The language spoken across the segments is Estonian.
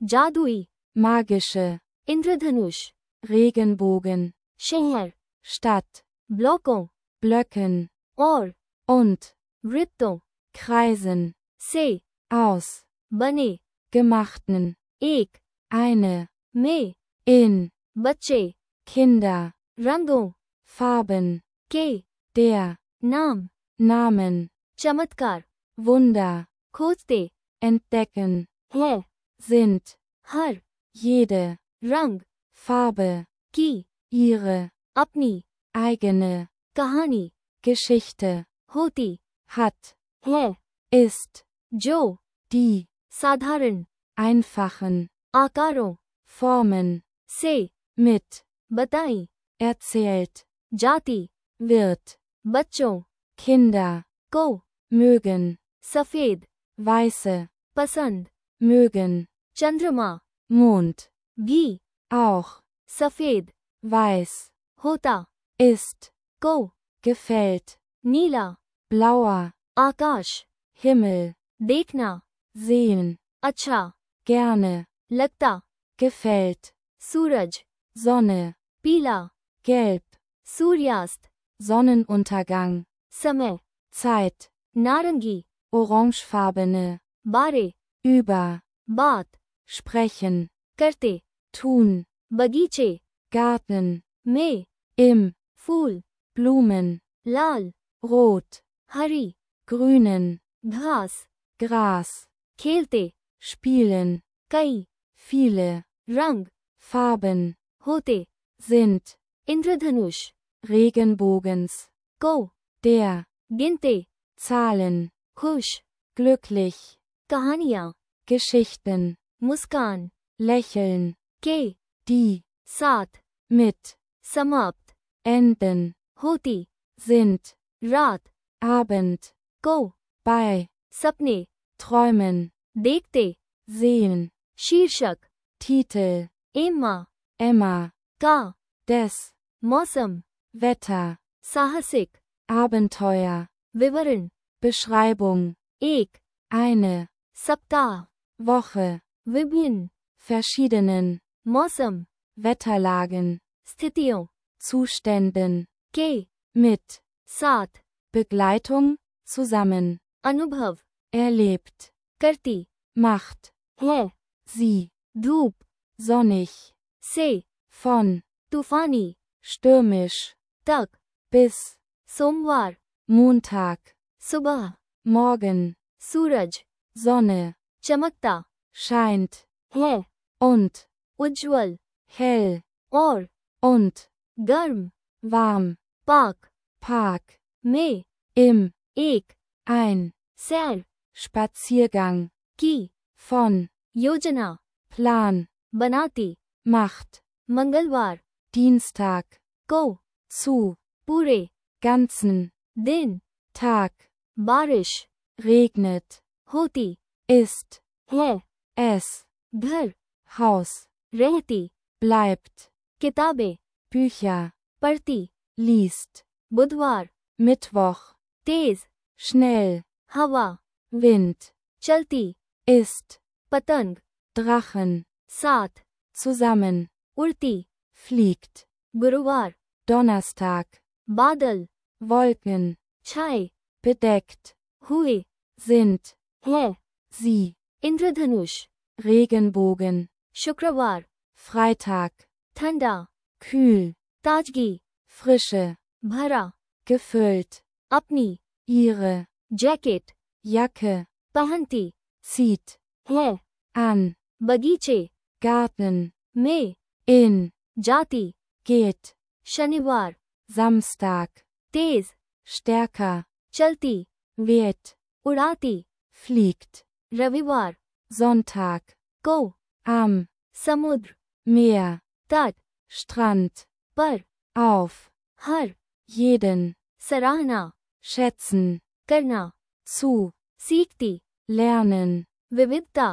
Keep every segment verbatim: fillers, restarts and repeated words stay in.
जादुई, magische, इंद्रधनुष, Regenbogen, शहर, Stadt, ब्लॉकों, Blöcken, और und, वृत्तों Kreisen, से aus, बने gemachten, एक eine, में in, बच्चे Kinder, रंगों Farben, के der, नाम Namen, चमत्कार Wunder, खोजते entdecken, है sind, हर jede, रंग Farbe, की ihre, अपनी eigene, कहानी Geschichte, होती hat, है ist, जो die, साधारण einfachen, आकारों Formen, से mit, बताई erzählt, जाती wird, बच्चों Kinder, को mögen, सफेद weiße, पसंद mögen, चंद्रमा Mond, भी auch, सफेद weiß, होता ist, को gefällt, नीला blauer, आकाश Himmel, देखना sehen, अच्छा gerne, लगता gefällt, सूरज Sonne, पीला gelb, सूर्यास्त Sonnenuntergang, समय Zeit, नारंगी orangefarbene, बारे über, बात sprechen, करते tun, बगीचे Garten, में im, फूल Blumen, लाल rot, हरी grünen, घास Gras, खेलते spielen, कई viele, रंग Farben, होते sind, इंद्रधनुष Regenbogens, को der, गिनते Zahlen, खुश glücklich, कहानियाँ Geschichten, मुस्कान lächeln, के die, साथ mit, समाप्त enden, होती sind, रात Abend, को bei, सपने träumen, देखते sehen, शीर्षक Titel, एम्मा Emma, का des, मौसम Wetter, साहसिक Abenteuer, विवरण Beschreibung, एक eine, सप्ताह Woche, विभिन्न verschiedenen, मौसम Wetterlagen, स्थितियों Zuständen, के mit, साथ Begleitung, zusammen, अनुभव erlebt, करती macht, है sie, धूप sonnig, से von, तूफानी stürmisch, तक bis, सोमवार Montag, सुबह morgen, सूरज Sonne, चमकता scheint, है und, उज्ज्वल hell, और und, गर्म warm, पाक Park, में im, एक ein, सैर Spaziergang, की von, योजना Plan, बनाती macht, मंगलवार Dienstag, को zu, पूरे ganzen, दिन Tag, बारिश regnet, होती ist, है es, घर Haus, रहती bleibt, किताबें Bücher, पढ़ती liest, बुधवार Mittwoch, तेज schnell, हवा Wind, चलती ist, पतंग Drachen, साथ zusammen, उड़ती fliegt, गुरुवार Donnerstag, बादल Wolken, छाए bedeckt, हुए sind, है sie, इंद्रधनुष Regenbogen, शुक्रवार Freitag, ठंडा kühl, ताजगी Frische, भरा gefüllt, अपनी ihre, जैकेट Jacke, पहनती zieht, है an, बगीचे Garten, में in, जाती geht, शनिवार Samstag, तेज stärker, चलती weht, उड़ाती fliegt, रविवार Sonntag, को am, समुद्र Meer, तट Strand, पर auf, हर jeden, सराहना schätzen, करना zu, सीखती lernen, विविधता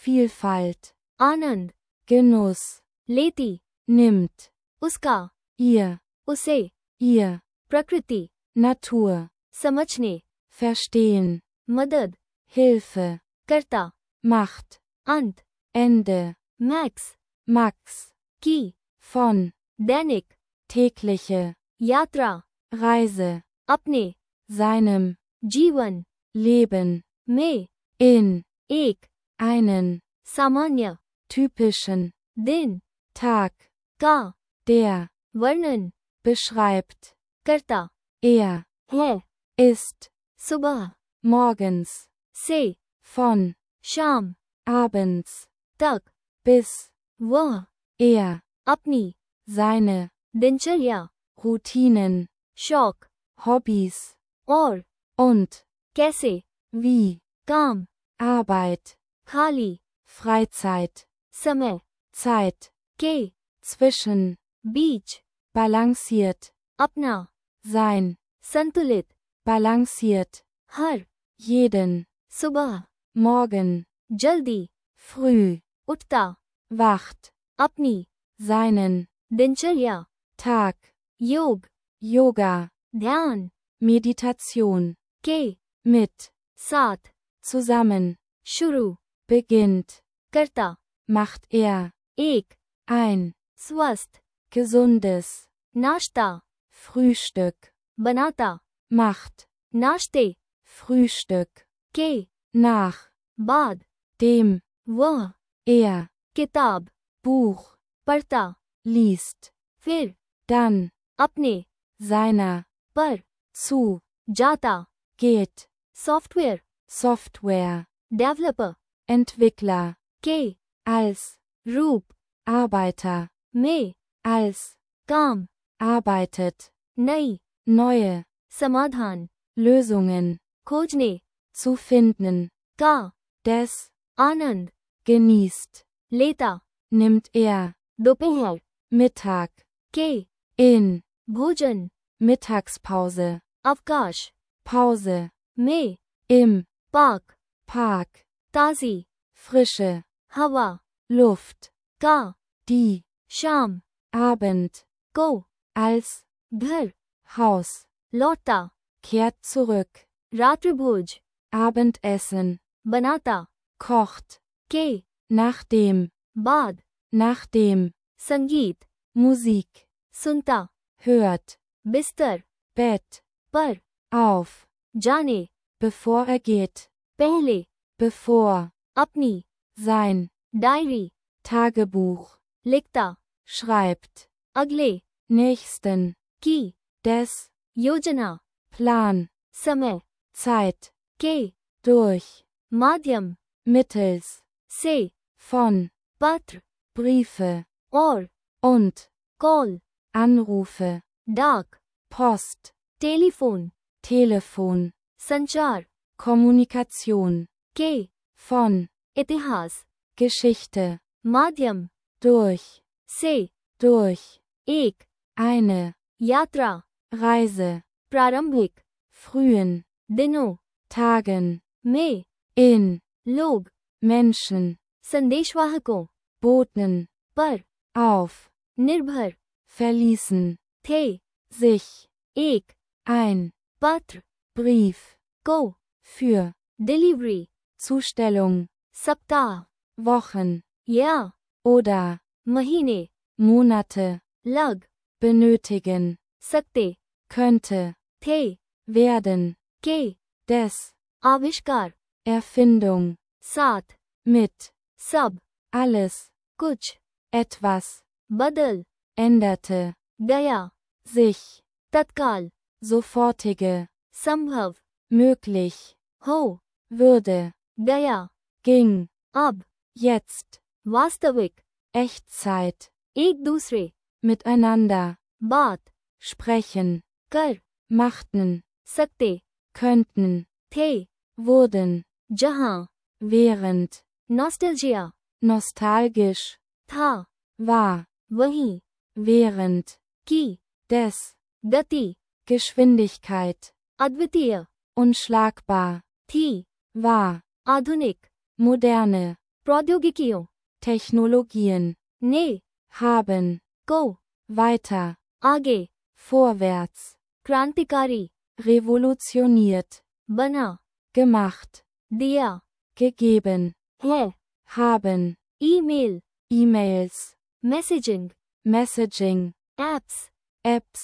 Vielfalt, आनंद Genuss, लेती nimmt, उसका ihr, उसे ihr, प्रकृति Natur, समझने verstehen, मदद Hilfe, करता macht, अंत Ende, Max, Max, की, von, दैनिक, tägliche, यात्रा, Reise, अपने, seinem, जीवन, Leben, में, in, एक, einen, सामान्य, typischen, दिन, Tag, का, der, वर्णन, beschreibt, करता, er, है, ist, सुबह, morgens, से, von, शाम, abends, तक, bis, वह, er, अपनी, seine, दिनचर्या, Routinen, शौक, Hobbys, और, und, कैसे, wie, काम, Arbeit, खाली, Freizeit, समय, Zeit, के, zwischen, बीच, balanciert, अपना, sein, संतुलित, balanciert, हर, jeden, सुबह, morgen, जल्दी, früh, उठता, wacht, अपनी, seinen, दिनचर्या, Tag, योग, Yoga, ध्यान, Meditation, के, mit, साथ, zusammen, शुरू, beginnt, करता, macht er, एक, ein, स्वस्थ, gesundes, नाश्ता, Frühstück, बनाता, macht, नाश्ते, Frühstück, के, nach, बाद, dem, वह, er, किताब, Buch, पढ़ता, liest, फिर, dann, अपने, seiner, पर, zu, जाता, geht, software, Software, developer, Entwickler, के, als, रूप, Arbeiter, में, als, काम, arbeitet, नई, neue, समाधान, Lösungen, खोजने, zu finden, का, des, आनंद, genießt, लेता, nimmt er, दोपहर, Mittag, के, in, भोजन, Mittagspause, अवकाश, Pause, में, im, पाक, Park, ताजी, frische, हवा, Luft, का, die, शाम, Abend, को, als, घर, Haus, लौटता, kehrt zurück, रात्रिभोज, Abendessen, बनाता, kocht, के, nachdem, बाद, nachdem, संगीत, Musik, सुनता, hört, बिस्तर, Bett, पर, auf, जाने, bevor er geht, पहले, bevor, अपनी, sein, डायरी, Tagebuch, लिखता, schreibt, अगले, nächsten, की, des, योजना, Plan, समय, Zeit, के, durch, माध्यम, mittels, से, von, पत्र, Briefe, और, und, कॉल, Anrufe, डाक, Post, टेलीफोन, Telefon, संचार, Kommunikation, के, von, इतिहास, Geschichte, माध्यम, durch, से, durch, एक, eine, यात्रा, Reise, प्रारंभिक, frühen, दिनों, Tagen, में, in, लोग, Menschen, संदेशवाहकों, boten, पर, auf, निर्भर, verließen, थे, sich, एक, ein, पत्र, Brief, को, für, डिलीवरी, Zustellung, सप्ताह, Wochen, या, oder, महीने, Monate, लग, benötigen, सकते, könnte, थे, werden, के, des, आविष्कार, Erfindung, साथ, mit, सब, alles, कुछ, etwas, बदल, änderte, गया, sich, तत्काल, sofortige, संभव, möglich, हो, würde, गया, ging, अब, jetzt, वास्तविक, Echtzeit, एक दूसरे, miteinander, बात, sprechen, कर, machten, सकते, könnten, थे, wurden, जहां, während, नॉस्टैल्जिया, nostalgisch, था, war, वहीं, während, की, des, गति, Geschwindigkeit, अद्वितीय, unschlagbar, थी, war, आधुनिक, moderne, प्रौद्योगिकियों, Technologien, ने, haben, को, weiter, आगे, vorwärts, क्रांतिकारी, revolutioniert, बना, gemacht, दिया, gegeben, है, haben, email, E-Mails, messaging, Messaging, apps, Apps,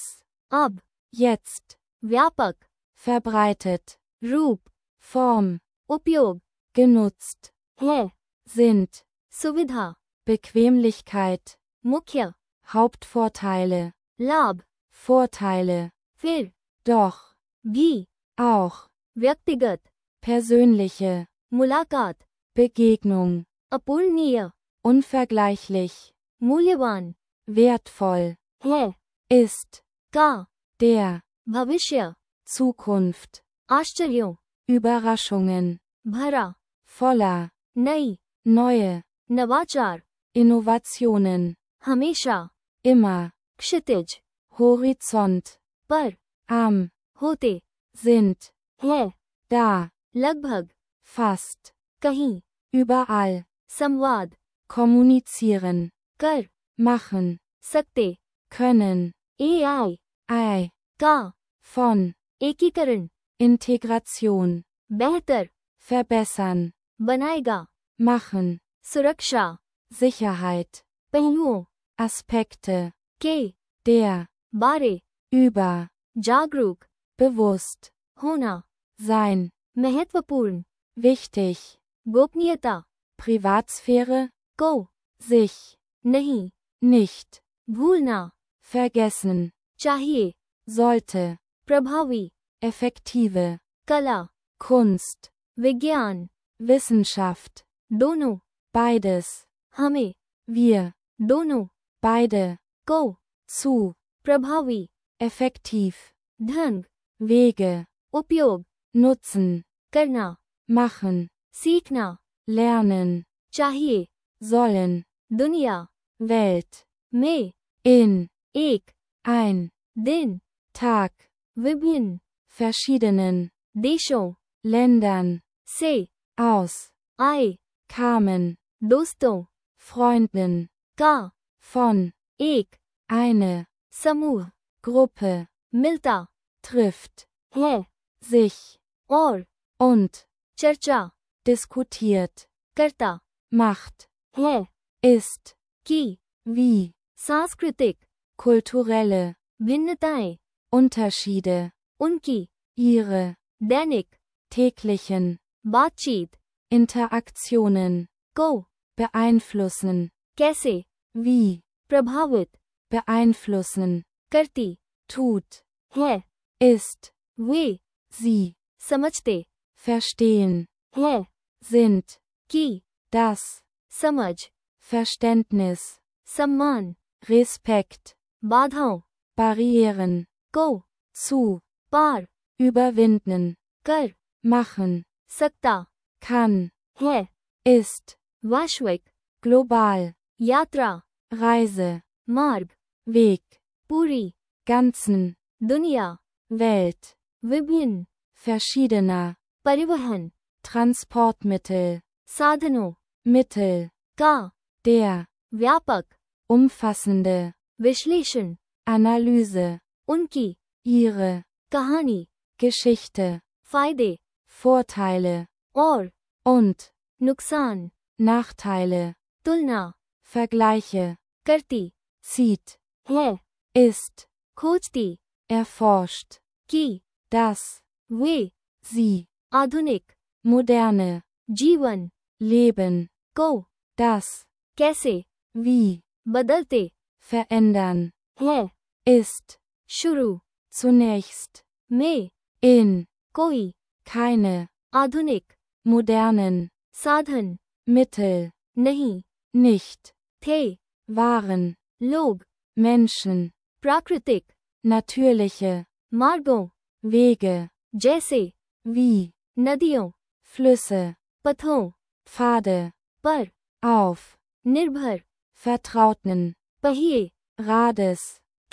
अब, jetzt, व्यापक, verbreitet, रूप, Form, उपयोग, genutzt, है, sind, सुविधा, Bequemlichkeit, मुख्य, Hauptvorteile, लाभ, Vorteile, फिर, doch, भी, auch, व्यक्तिगत, persönliche, मुलाकात, Begegnung, अपूर्णीय, unvergleichlich, मूल्यवान, wertvoll, है, ist, का, der, भविष्य, Zukunft, आश्चर्यों, Überraschungen, भरा, voller, नई, neue, नवाचार, Innovationen, हमेशा, immer, क्षितिज, Horizont, पर, am, होते, sind, है, da, लगभग, fast, कहीं, überall, संवाद, kommunizieren, कर, machen, सकते, können, एआई, ei, का, von, एकीकरण, Integration, बेहतर, verbessern, बनाएगा, machen, सुरक्षा, Sicherheit, पहलुओं, Aspekte, के, der, बारे, über, जागरूक, bewusst, होना, sein, महत्वपूर्ण, wichtig, गोपनीयता, Privatsphäre, को, sich, नहीं, nicht, भूलना, vergessen, चाहिए, sollte, प्रभावी, effektive, कला, Kunst, विज्ञान, Wissenschaft, दोनों, beides, हमें, wir, दोनों, beide, को, zu, प्रभावी, effektiv, ढंग, Wege, उपयोग, nutzen, करना, machen, सीखना, lernen, चाहिए, sollen, दुनिया, Welt, में, in, एक, ein, दिन, Tag, विभिन्न, verschiedenen, देशों, Ländern, से, aus, आए, kamen, दोस्तों, Freunden, का, von, एक, eine, समूह, Gruppe, मिलता, trifft, है, sich, और, und, चर्चा, diskutiert, करता, macht, है, ist, की, wie, सांस्कृतिक, kulturelle, भिन्नताएं, Unterschiede, उनकी, ihre, दैनिक, täglichen, बातचीत, Interaktionen, को, beeinflussen, कैसे, wie, प्रभावित, beeinflussen, करती, tut, है, ist, वे, sie, समझते, verstehen, है, sind, की, das, समझ, Verständnis, सम्मान, Respekt, बाधाओं, Barrieren, को, zu, पार, überwinden, कर, machen, सकता, kann, है, ist, वैश्विक, global, यात्रा, Reise, मार्ग, Weg, पूरी, ganzen, दुनिया, Welt, विभिन्न, verschiedener, परिवहन, Transportmittel, साधनों, Mittel, का, der, व्यापक, umfassende, विश्लेषण, Analyse, उनकी, ihre, कहानी, Geschichte, फायदे, Vorteile, और, und, नुकसान, Nachteile, तुलना, Vergleiche, करती, zieht, है, ist, खोजती, erforscht, की, das, वे, sie, आधुनिक, moderne, जीवन, Leben, को, das, कैसे, wie, बदलते, verändern, है, ist, शुरू, zunächst, में, in, कोई, keine, आधुनिक, modernen, साधन, Mittel, नहीं, nicht, थे, waren, लोग, Menschen, प्राकृतिक, natürliche, मार्गों, Wege, जैसे, wie, नदियों, Flüsse, पथों, Pfade, पर, auf, निर्भर, vertrauten, पहिए, Rades,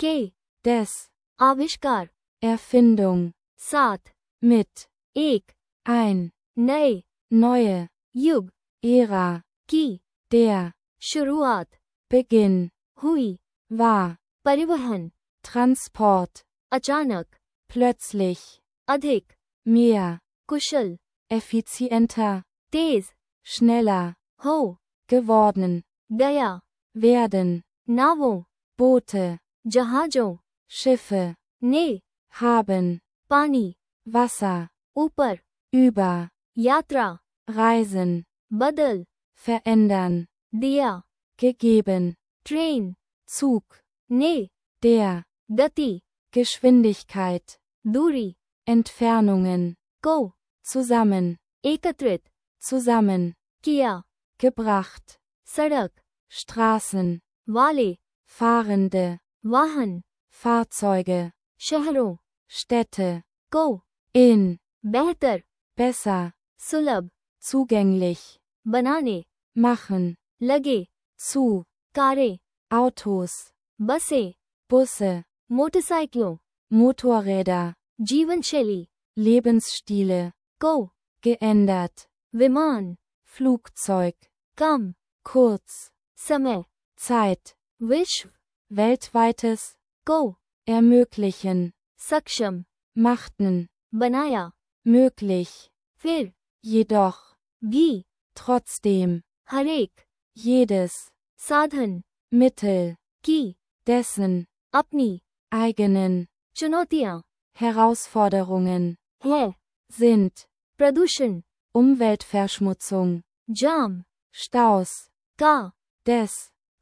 के, des, आविष्कार, Erfindung, साथ, mit, एक, ein, नए, neue, युग, Ära, की, der, शुरुआत, Beginn, हुई, war, परिवहन, Transport, अचानक, plötzlich, अधिक, mehr, कुशल, effizienter, तेज, schneller, हो, geworden, गया, werden, नावों, Boote, जहाजों, Schiffe, ने, haben, पानी, Wasser, ऊपर, über, यात्रा, reisen, बदल, verändern, दिया, gegeben, ट्रेन, Zug, ने, der, गति, Geschwindigkeit, दूरी, Entfernungen, को, zusammen, एकत्रित, zusammen, किया, gebracht, सड़क, Straßen, वाले, Fahrende, वाहन, Fahrzeuge, शहरों, Städte, को, in, बेहतर, besser, सुलभ, zugänglich, बनाने, machen, लगे, zu, कारें, Autos, बसें, Busse, मोटरसाइकिलों, Motorräder, जीवन शैली, Lebensstile, को, geändert, विमान, Flugzeug, कम, kurz, समय, Zeit, विश्व, weltweites, को, ermöglichen, सक्षम, machten, बनाया, möglich, फिर, jedoch, भी, trotzdem, हरेक, jedes, साधन, Mittel, की, dessen, अपनी, eigenen, चुनौतियां, Herausforderungen, है, sind, प्रदूषण, Umweltverschmutzung, जाम, Staus, का, des,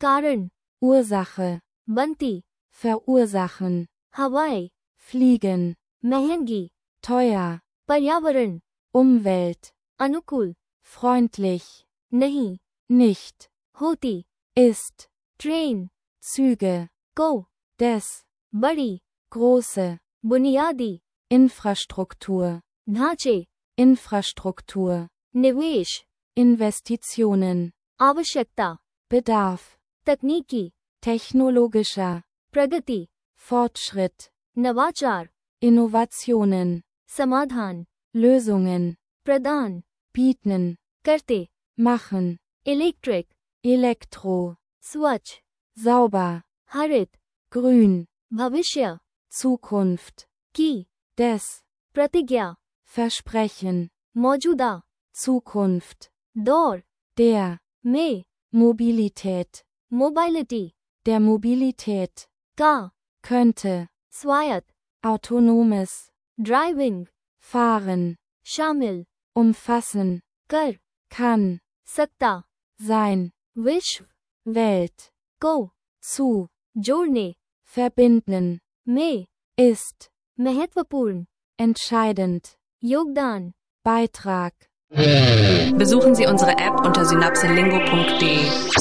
कारण, Ursache, बनती, verursachen, हवाएं, fliegen, महंगी, teuer, पर्यावरण, Umwelt, अनुकूल, freundlich, नहीं, nicht, होती, ist, ट्रेन, Züge, को, des, बड़ी, große, बुनियादी, Infrastruktur, ढांचे, Infrastruktur, निवेश, Investitionen, आवश्यकता, Bedarf, तकनीकी, technologischer, प्रगति, Fortschritt, नवाचार, Innovationen, समाधान, Lösungen, प्रदान, bieten, करते, machen, इलेक्ट्रिक, Elektro, स्वच्छ, sauber, हरित, grün, भविष्य, Zukunft, की, des, प्रतिज्ञा, Versprechen, मौजूदा, Zukunft, दौर, der, में, Mobilität, मोबाइलिटी, der Mobilität, का, könnte, स्वायत्त, autonomes, ड्राइविंग, fahren, शामिल, umfassen, कर, kann, सकता, sein, विश्व, Welt, को, zu, जोड़ने, verbinden, में, ist, महत्वपूर्ण, entscheidend, योगदान, Beitrag. Besuchen Sie unsere App unter synapselingo punkt de.